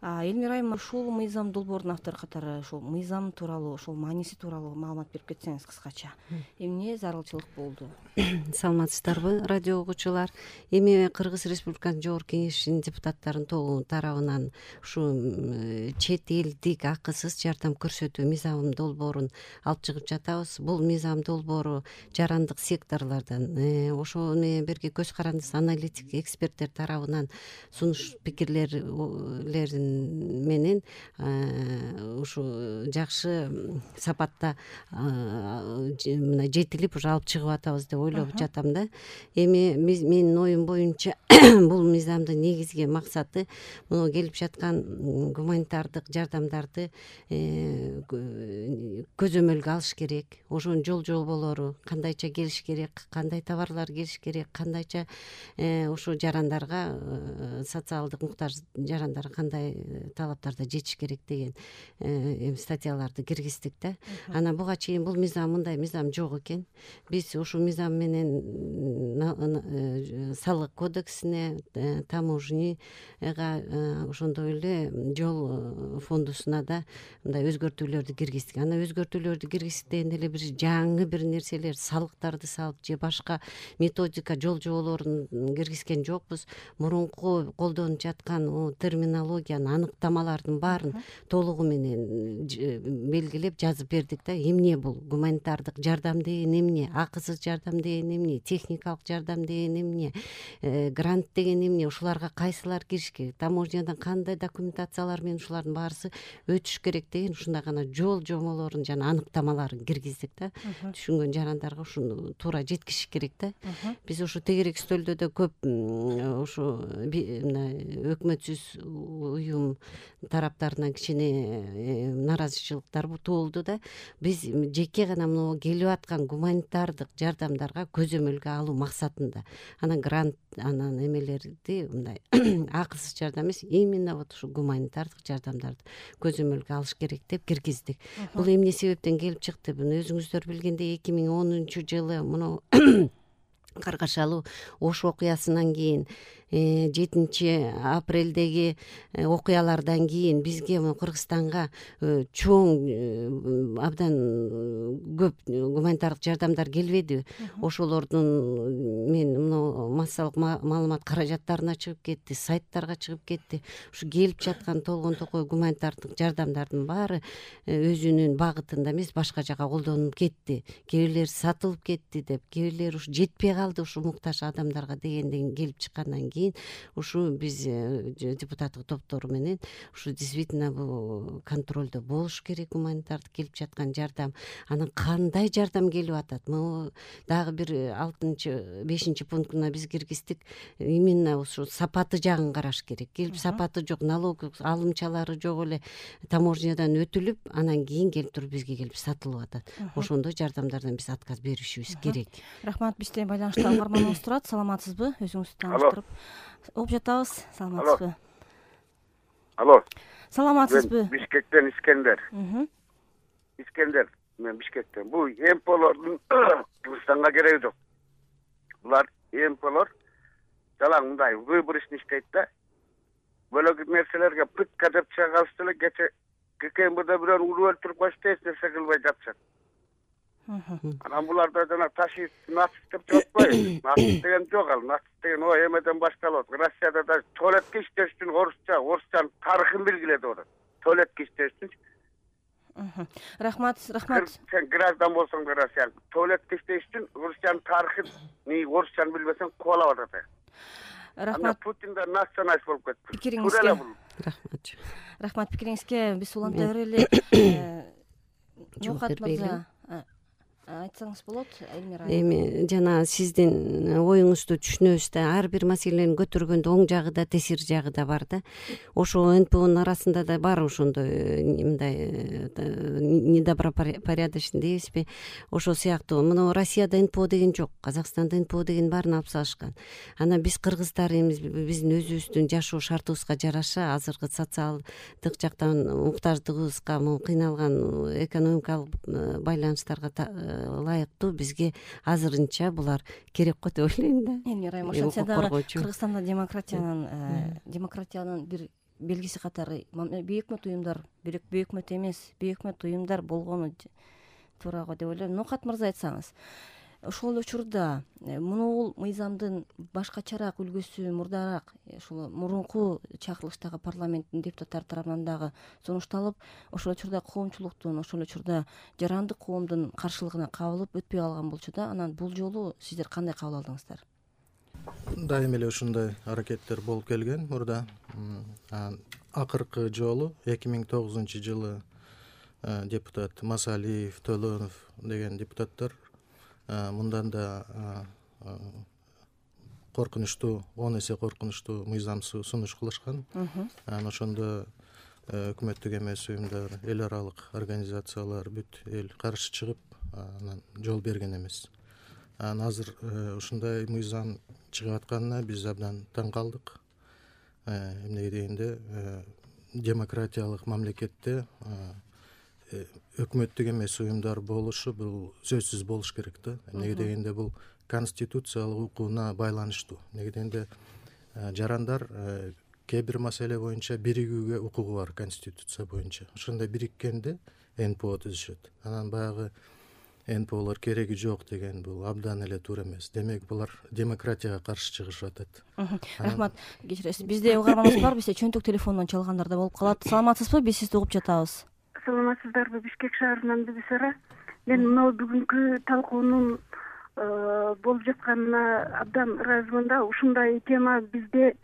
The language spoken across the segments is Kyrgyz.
Элмира айым, ушул мыйзам долбоордун автору катары ушул мыйзам тууралуу, ошол мааниси тууралуу маалымат берип кетсеңиз кыскача. Эмне зарылчылык болду? Саламатсыздарбы, радио угуучулар? Эми Кыргыз Республикасынын Жогорку Кеңешинин депутаттарынын тобу тарабынан ушу чет элдик акысыз жардам көрсөтүү мыйзам долбоорун алып чыгып жатабыз. Бул мыйзам долбоору жарандык секторлордон ошол менен бирге көз карандысыз аналитик эксперттер тарабынан сунуш пикирлерин менен ушу жакшы сапатта мына жетилип уже алып чыгып атабыз деп ойлоп жатам да. Эми менин оюм боюнча бул мыйзамдын негизги максаты мына келип жаткан гуманитардык жардамдарды көзөмөлгө алыш керек. Ошонун жол жоболору кандайча келиш керек, кандай товарлар келиш керек, кандайча ошо жарандарга социалдык муктаж жарандарга кандай талаптарда жетиш керек деген статьяларды киргиздик да. Анан буга чейин бул мыйзам мындай мыйзам жок экен. Биз ушул мыйзам менен салык кодексине, таможняга, ошондой эле жол фондусуна да мындай өзгөртүүлөрдү киргиздик. Анан өзгөртүүлөрдү киргиздикте эле бир жаңы бир нерселер, салыктарды салып же башка методика, жол жоболорун киргизген жокпуз. Мурунку колдонуп жаткан терминологиянын, аныктамалардын баарын толугу менен белгилеп жазып бердик да. Эмне бул гуманитардык жардам деген эмне, акысыз жардам деген эмне, техникалык жардам деген эмне, грант деген эмне, ушуларга кайсылар кириш керек, таможнядан кандай документациялар менен ушулардын баарысы өтүш керек деген ушундай гана жол жоболорун жана аныктамаларын киргиздик да. Түшүнгөн жарандарга ушуну туура жеткизиш керек да. Биз ушу тегерек стөлдө да көп ушу өкмөтсүз уюм тараптарынан кичине нааразычылыктар туулду да. Биз жеке гана мына келип аткан гуманитардык жардамдарга көзөмөлгө алуу максатында анан грант анан эмелерди мындай акысыз жардам эмес, именно вот ушу гуманитардык жардамдарды көзөмөлгө алыш керек деп киргиздик. Бул эмне себептен келип чыкты? Буну өзүңүздөр билгендей 2010-жылы мына Каргашалуу Ош окуясынан кийин 7-апрелдеги окуялардан кийин бизге Кыргызстанга чоң абдан көп гуманитардык жардамдар келбедиби? Ошолордун мен мына массалык маалымат каражаттарына чыгып кетти, сайттарга чыгып кетти. Ушу келип жаткан толгон токой гуманитардык жардамдардын баары өзүнүн багытында эмес, башка жака колдонулуп кетти. Кээ бирлери сатылып кетти деп, кээ бирлери ушу жетпей калды ушу муктаж адамдарга дегенден келип чыккандан кийин ушу биз депутаттык топтору менен ушу действительно бул контролдо болуш керек гуманитардык келип жаткан жардам. Анан кандай жардам келип атат? Могу дагы бир 6-5 пунктуна биз киргиздик. Именно ушу сапаты жагын караш керек. Келип сапаты жок, налог алымчалары жок эле таможнядан өтүлүп, анан кийин келип туруп бизге келип сатылып атат. Ошондой жардамдардан биз отказ беришибиз керек. Рахмат, бизде байланышта угарманыбыз турат. Саламатсызбы? Өзүңүздү тааныштырып оп жатабыз. Саламатсызбы? Алло. Саламатсызбы? Бишкектен Искендер. Мен Бишкектен. Бул МПлордун Кыргызстанга кереги жок. Булар МПлор жалаң мындай выборочный иштейт да. Бөлөк нерселерге пытка деп чыга калышты эле ККМБда бирөөнү уруп өлтүрүп коюшту, эч нерсе кылбай жатышат. Анан буларда жана ташист нацист деп жатпайбы? Нацист деген жок ал. Нацист деген эмеден башталат. Россияда да туалетке иштеш үчүн орусчанын тарыхын белгиледи атат. Туалетке иштеш үчүн. Рахмат. Сен граждан болсоң да Россия туалетке иштеш үчүн орусчанын тарыхын, орусчаны билбесең кубалап атат. Рахмат. Путин да националист болуп кетти. Пикириңизге. Рахмат пикириңизге. Биз уланта берели. Жоокат мырза, айтсаңыз болот, Элмира. Эми жана сиздин оюңузду түшүнөбүз да, ар бир маселени көтөргөндө оң жагы да, тесир жагы да бар да. Ошо НПОнун арасында да бар ошондой мындай недобропорядочный дейбизби? Ошол сыяктуу. Мына Россияда НПО деген жок, Казакстанда НПО деген баарын алып салышкан. Анан биз кыргыздар биздин өзүбүздүн жашоо шартыбызга жараша азыркы социалдык жактан муктаждыгыбызга, кыйналган экономикалык байланыштарга ылайыктуу бизге азырынча булар керек го деп ойлойм да. Элмира айым, ошентсе дагы Кыргызстанда демократиянын бир белгиси катары бейөкмөт уюмдар, бейөкмөт эмес, бейөкмөт уюмдар болгону туура го деп ойлойм. Ноокат мырза, айтсаңыз, ошол учурда мунул мыйзамдын башкачараак үлгүсү мурдараак ушул мурунку чакырылыштагы парламенттин депутаттары тарабынан дагы сунушталып, ошол учурда коомчулуктун, ошол учурда жарандык коомдун каршылыгына кабылып өтпөй калган болчу да. Анан бул жолу сиздер кандай кабыл алдыңыздар? Дайым эле ушундай аракеттер болуп келген мурда. Акыркы жолу 2009-жылы депутат Масалиев, Төлөнов деген депутаттар мындан да коркунучтуу, 10 эсе коркунучтуу мыйзам сунуш кылышкан. Ошондо өкмөттүк эмес уюмдар, эл аралык организациялар бүт эл каршы чыгып, анан жол берген эмес. Азыр ушундай мыйзам чыгып атканына биз абдан таң калдык. Эмнеге дегенде, демократиялык мамлекетте өкмөттүк эмес уюмдар болушу бул сөзсүз болуш керек да. Эмнеге дегенде бул конституциялык укугуна байланыштуу. Эмнеге дегенде жарандар кээ бир маселе боюнча биригүүгө укугу бар конституция боюнча. Ошондой бириккенде НПО түзүшөт. Анан баягы НПОлор кереги жок деген бул абдан эле туура эмес. Демек булар демократияга каршы чыгышып атат. Рахмат. Кечиресиз, бизде угарманыбыз бар, бизде чөнтөк телефондон чалгандар да болуп калат. Саламатсызбы? Биз сизди угуп жатабыз. Саламатсыздарбы? Бишкек шаарынан Бибисара. Мен мына бүгүнкү талкуунун болуп жатканына абдан ыраазымын да. Ушундай тема бизде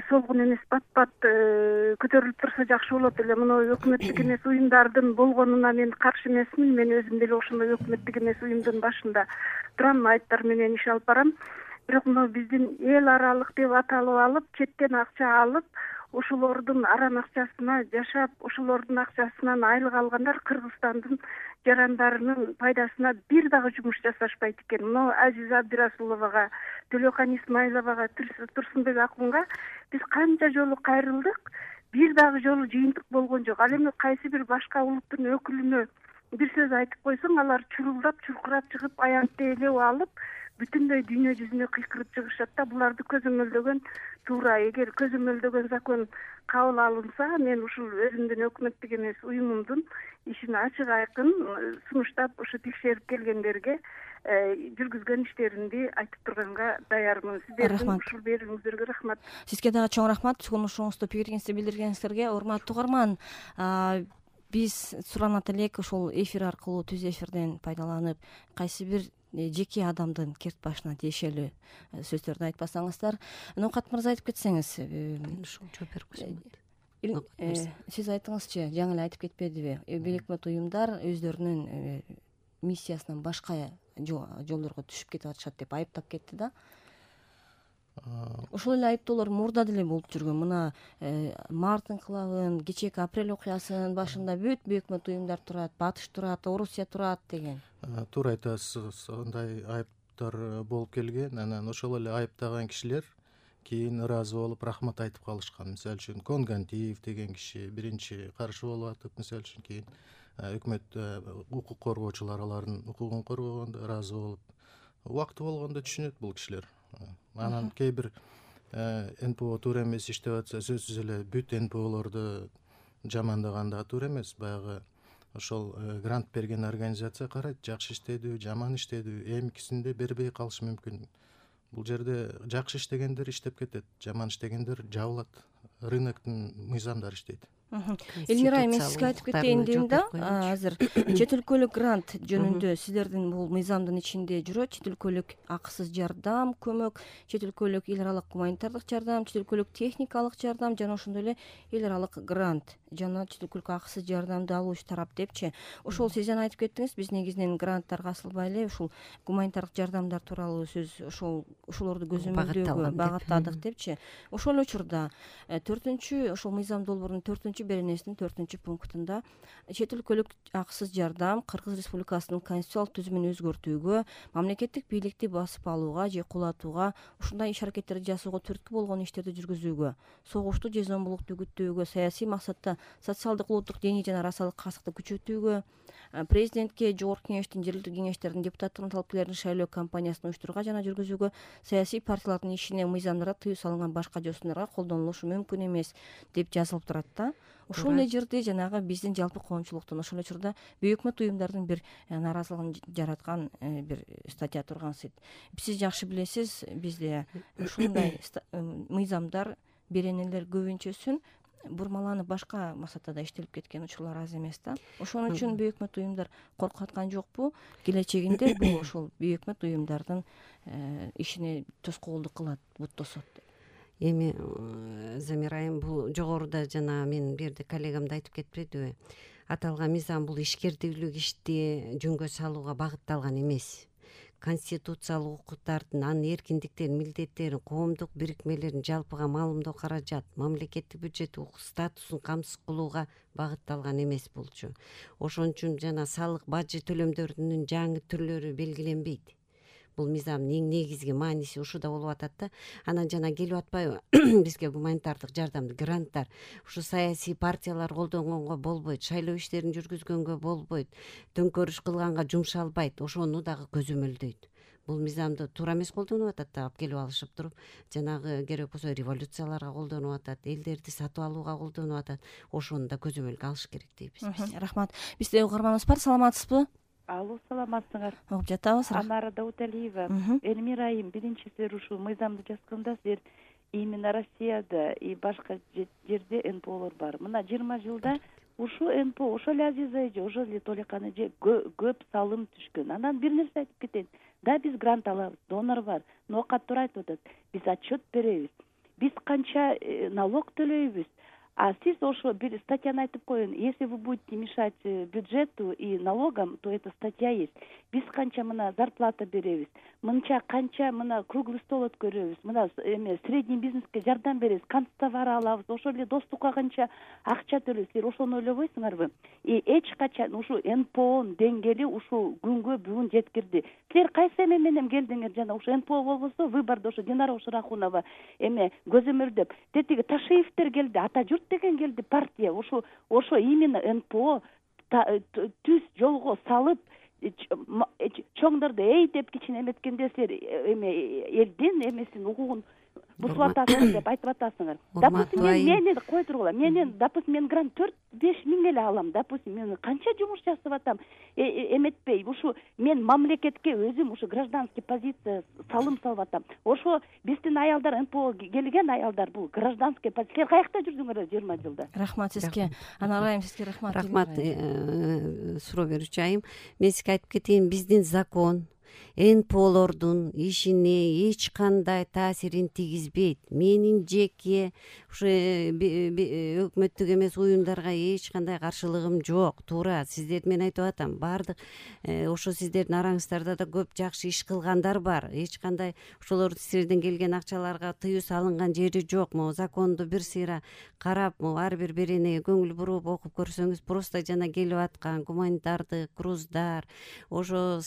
солгун эмес, бат-бат көтөрүлүп турса жакшы болот эле. Мына өкмөттүк эмес уюмдардын болгонуна мен каршы эмесмин. Мен өзүм деле ошондой өкмөттүк эмес уюмдун башында турам, айыптар менен иш алып барам. Бирок мына биздин эл аралык деп аталып алып, четтен акча алып, ошолордун арам акчасына жашап, ошолордун акчасынан айлык алгандар Кыргызстандын жарандарынын пайдасына бир дагы жумуш жасашпайт экен. Мына Азиза Абдирасуловага, Төлөкан Исмаиловага, Турсунбек Акунга биз канча жолу кайрылдык, бир дагы жолу жыйынтык болгон жок. Ал эми кайсы бир башка улуттун өкүлүнө бир сөз айтып койсоң, алар чурулдап, чуркурап чыгып, аянтты элеп алып, бүтүндөй дүйнө жүзүнө кыйкырып чыгышат да. Буларды көзөмөлдөгөн туура. Эгер көзөмөлдөгөн закон кабыл алынса, мен ушул өзүмдүн өкмөттүк эмес уюмумдун ишин ачык айкын сунуштап, ушу текшерип келгендерге жүргүзгөн иштеримди айтып турганга даярмын. Сиздердин ушул берүүңүздөргө рахмат. Сизге дагы чоң рахмат. Сунушуңузду, пикириңизди билдиргениңизге. Урматтуу угарман, биз суранат элек ошол эфир аркылуу, түз эфирден пайдаланып, кайсы бир жеке адамдын керт башына тиешелүү сөздөрдү айтпасаңыздар. Ноокат мырза, айтып кетсеңиз. Жооп берип койсоң. Сиз айтыңызчы, жаңы эле айтып кетпедиби? Бейөкмөт уюмдар өздөрүнүн миссиясынан башка жолдорго түшүп кетип атышат деп айыптап кетти да. Ошол эле айыптоолор мурда деле болуп жүргөн. Мына март инкылабын, кечээки апрель окуясынын башында бүт бейөкмөт уюмдар турат, Батыш турат, Орусия турат деген. Туура айтасыз, андай айыптар болуп келген. Анан ошол эле айыптаган кишилер кийин ыраазы болуп рахмат айтып калышкан. Мисалы үчүн Конгантиев деген киши биринчи каршы болуп атып, мисалы үчүн кийин өкмөт укук коргоочулар алардын укугун коргогондо ыраазы болуп, убакыты болгондо түшүнөт бул кишилер. Анан кээ бир НПО туура эмес иштеп атса, сөзсүз эле бүт НПОлорду жамандаган да туура эмес. Баягы ошол грант берген организация карайт, жакшы иштедүү, жаман иштедүү, эмикисинде бербей калышы мүмкүн. Бул жерде жакшы иштегендер иштеп кетет, жаман иштегендер жабылат. Рыноктун мыйзамдары иштейт. Элмира, мен сизге айтып кетейин дейм да. Азыр чет өлкөлүк грант жөнүндө сиздердин бул мыйзамдын ичинде жүрөт. Чет өлкөлүк акысыз жардам, көмөк, чет өлкөлүк эл аралык гуманитардык жардам, чет өлкөлүк техникалык жардам жана ошондой эле эл аралык грант жана чет өлкөлүк акысыз жардамды алуучу тарап депчи. Ошол сиз жана айтып кеттиңиз, биз негизинен гранттарга асылбай эле ушул гуманитардык жардамдар тууралуу сөз ошолорду көзөмөлдөөгө багыттадык депчи. Ошол учурда 4-чү ошол мыйзам долбоорунун 4-чү беренесинин 4-чү пунктунда чет өлкөлүк акысыз жардам Кыргыз Республикасынын конституциялык түзүмүн өзгөртүүгө, мамлекеттик бийликти басып алууга же кулатууга, ушундай иш аракеттерди жасоого түрткү болгон иштерди жүргүзүүгө, согушту же зомбулукту үгүттөөгө, саясий максатта социалдык, улуттук, диний жана расалык касыкты күчөтүүгө, президентке, жогорку кеңештин, жергиликтүү кеңештердин депутаттыгын талапкерлерин шайлоо кампаниясын уюштурууга жана жүргүзүүгө саясий партиялардын ишине мыйзамдарга тыюу салынган башка жосундурга колдонулушу мүмкүн эмес деп жазылып турат да. Ошол эле жерде жанагы биздин жалпы коомчулуктун, ошол эле учурда бүйүк өкмөт уюмдардын бир нааразылыгын жараткан бир статья тургансыйт. Сиз жакшы билесиз, бизде ушундай мыйзамдар, беренелер көбүнчөсүн бурмаланып башка максатта да иштелип кеткен учурлар аз эмес да. Ошон үчүн бүйүк өкмөт уюмдар коркуп аткан жокпу? Келечегинде бул ошол бүйүк өкмөт уюмдардын ишине тоскоолдук кылат, бут тосот деп. Эми Замира айым, бул жогоруда жана мен бул жерде коллегам да айтып кетпедиби? Аталган мыйзам бул ишкердүүлүк ишти жөнгө салууга багытталган эмес. Конституциялык укуктардын, анын эркиндиктерин, милдеттерин, коомдук бирикмелердин жалпыга маалымдоо каражат, мамлекеттик бюджет статусун камсыз кылууга багытталган эмес болчу. Ошон үчүн жана салык бажы төлөмдөрүнүн жаңы түрлөрү белгиленбейт. Бул мыйзамдын эң негизги мааниси ушуда болуп атат да. Анан жана келип атпайбы бизге гуманитардык жардам, гранттар ушу саясий партиялар колдонгонго болбойт, шайлоо иштерин жүргүзгөнгө болбойт, төңкөрүш кылганга жумшалбайт, ошону дагы көзөмөлдөйт. Бул мыйзамды туура эмес колдонуп атат да, алып келип алышып туруп, жанагы керек болсо революцияларга колдонуп атат, элдерди сатып алууга колдонуп атат. Ошону да көзөмөлгө алыш керек дейбиз. Рахмат. Бизде угарманыбыз бар, саламатсызбы? Алло, саламатсыңар. Угуп жатабыз. Анара Дауталиева. Элмира айым, биринчи силер ушул мыйзамды жазганда силер именно Россияда и башка жерде НПОлор бар. Мына 20 жылда ушу НПО, ошол эле Азиз эже, ошол эле Толикан эже көп салым түшкөн. Анан бир нерсе айтып кетейин. Да, биз грант алабыз, донор бар. Ноокат туура айтып атат. Биз отчет беребиз. Биз канча налог төлөйбүз. А сиз ошо бир статьяны айтып коюн. Если вы будете мешать бюджету и налогам, то эта статья есть. Биз канча мына зарплата беребиз. Мынча канча мына круглый стол өткөрөбүз. Мына средний бизнеске жардам беребиз. Канцтовар алабыз. Ошол эле достукка канча акча төлөйбүз. Силер ошону ойлобойсуңарбы? И эч качан ушу НПОнун деңгээли ушу күнгө бүгүн жеткирди. Силер кайсы эме менен келдиңер? Жана ушу НПО болбосо выбордо ушу Динара Ушрахунова көзөмөлдөп, тетиги Ташиевтер келди, ата журт деген келди, партия. Ошо именно НПО түз жолго салып, чоңдорду эй деп кичине эметкенде силер элдин эмесин укугун бузуп атасыңар деп айтып атасыңар. Допустим, мени кой тургула. Допустим, мен грант 4-5 миң эле алам. Допустим, мен канча жумуш жасап атам. Эметпей, ушу мен мамлекетке өзүм ушу гражданский позиция салым салып атам. Ошо биздин аялдар, НПО келген аялдар, бул гражданский позиция. Каякта жүрдүңөр 20 жылда? Рахмат сизге. Анара айым, сизге рахмат. Рахмат, суроо берүүчү айым. Мен сизге айтып кетейин, биздин закон НПОлордун ишине эч кандай таасирин тийгизбейт. Менин жеке ушу өкмөттүк эмес уюмдарга эч кандай каршылыгым жок. Туура, сиздер мен айтып атам, баардык ошо сиздердин араңыздарда да көп жакшы иш кылгандар бар. Эч кандай ошолор силерден келген акчаларга тыюу салынган жери жок. Могу законду бир сыйра карап, ар бир беренеге көңүл буруп окуп көрсөңүз, просто жана келип аткан гуманитардык груздар, ошо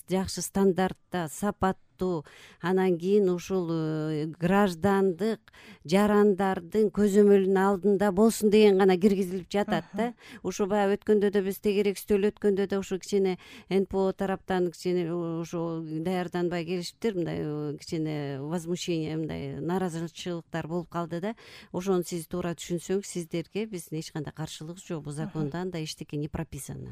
жакшы стандартта, сапаттуу, анан кийин ушул граждандык жарандардын көзөмөлүнүн алдында болсун деген гана киргизилип жатат да. Ушу баягы өткөндө да биз тегерекстөөлө өткөндө да ушу кичине НПО тараптан кичине ушу даярданбай келишиптир, мындай кичине возмущение, мындай нааразычылыктар болуп калды да. Ошону сиз туура түшүнсөңүз, сиздерге биздин эч кандай каршылыгыбыз жок. Бул закондон да эчтеке не прописано.